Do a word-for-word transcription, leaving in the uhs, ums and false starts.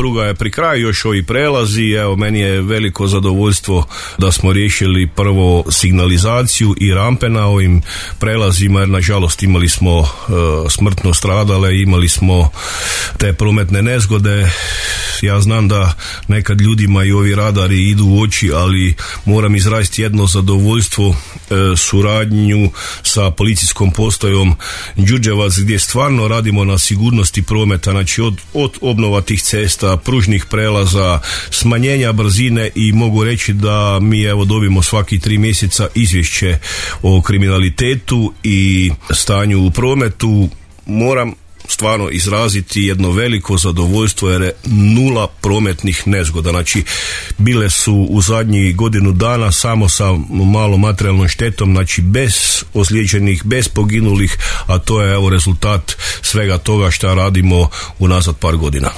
pruga je pri kraju, još ovi prelazi, evo meni je veliko zadovoljstvo da smo riješili prvo signalizaciju i rampe na ovim prelazima, jer nažalost imali smo uh, smrtno stradale, imali smo te prometne nezgode. Ja znam da nekad ljudima i ovi radari idu u oči, ali moram izraziti jedno zadovoljstvo, uh, suradnju sa policijskom postajom Đurđevac, gdje stvarno radimo na sigurnosti prometa, znači od, od obnova tih cesta, pružnih prelaza, smanjenja brzine, i mogu reći da mi evo dobimo svaki tri mjeseca izvješće o kriminalitetu i stanju u prometu. Moram stvarno izraziti jedno veliko zadovoljstvo, jer je nula prometnih nezgoda. Znači bile su u zadnjih godinu dana samo sa malom materijalnom štetom, znači bez ozlijeđenih, bez poginulih, a to je evo rezultat svega toga što radimo unazad par godina.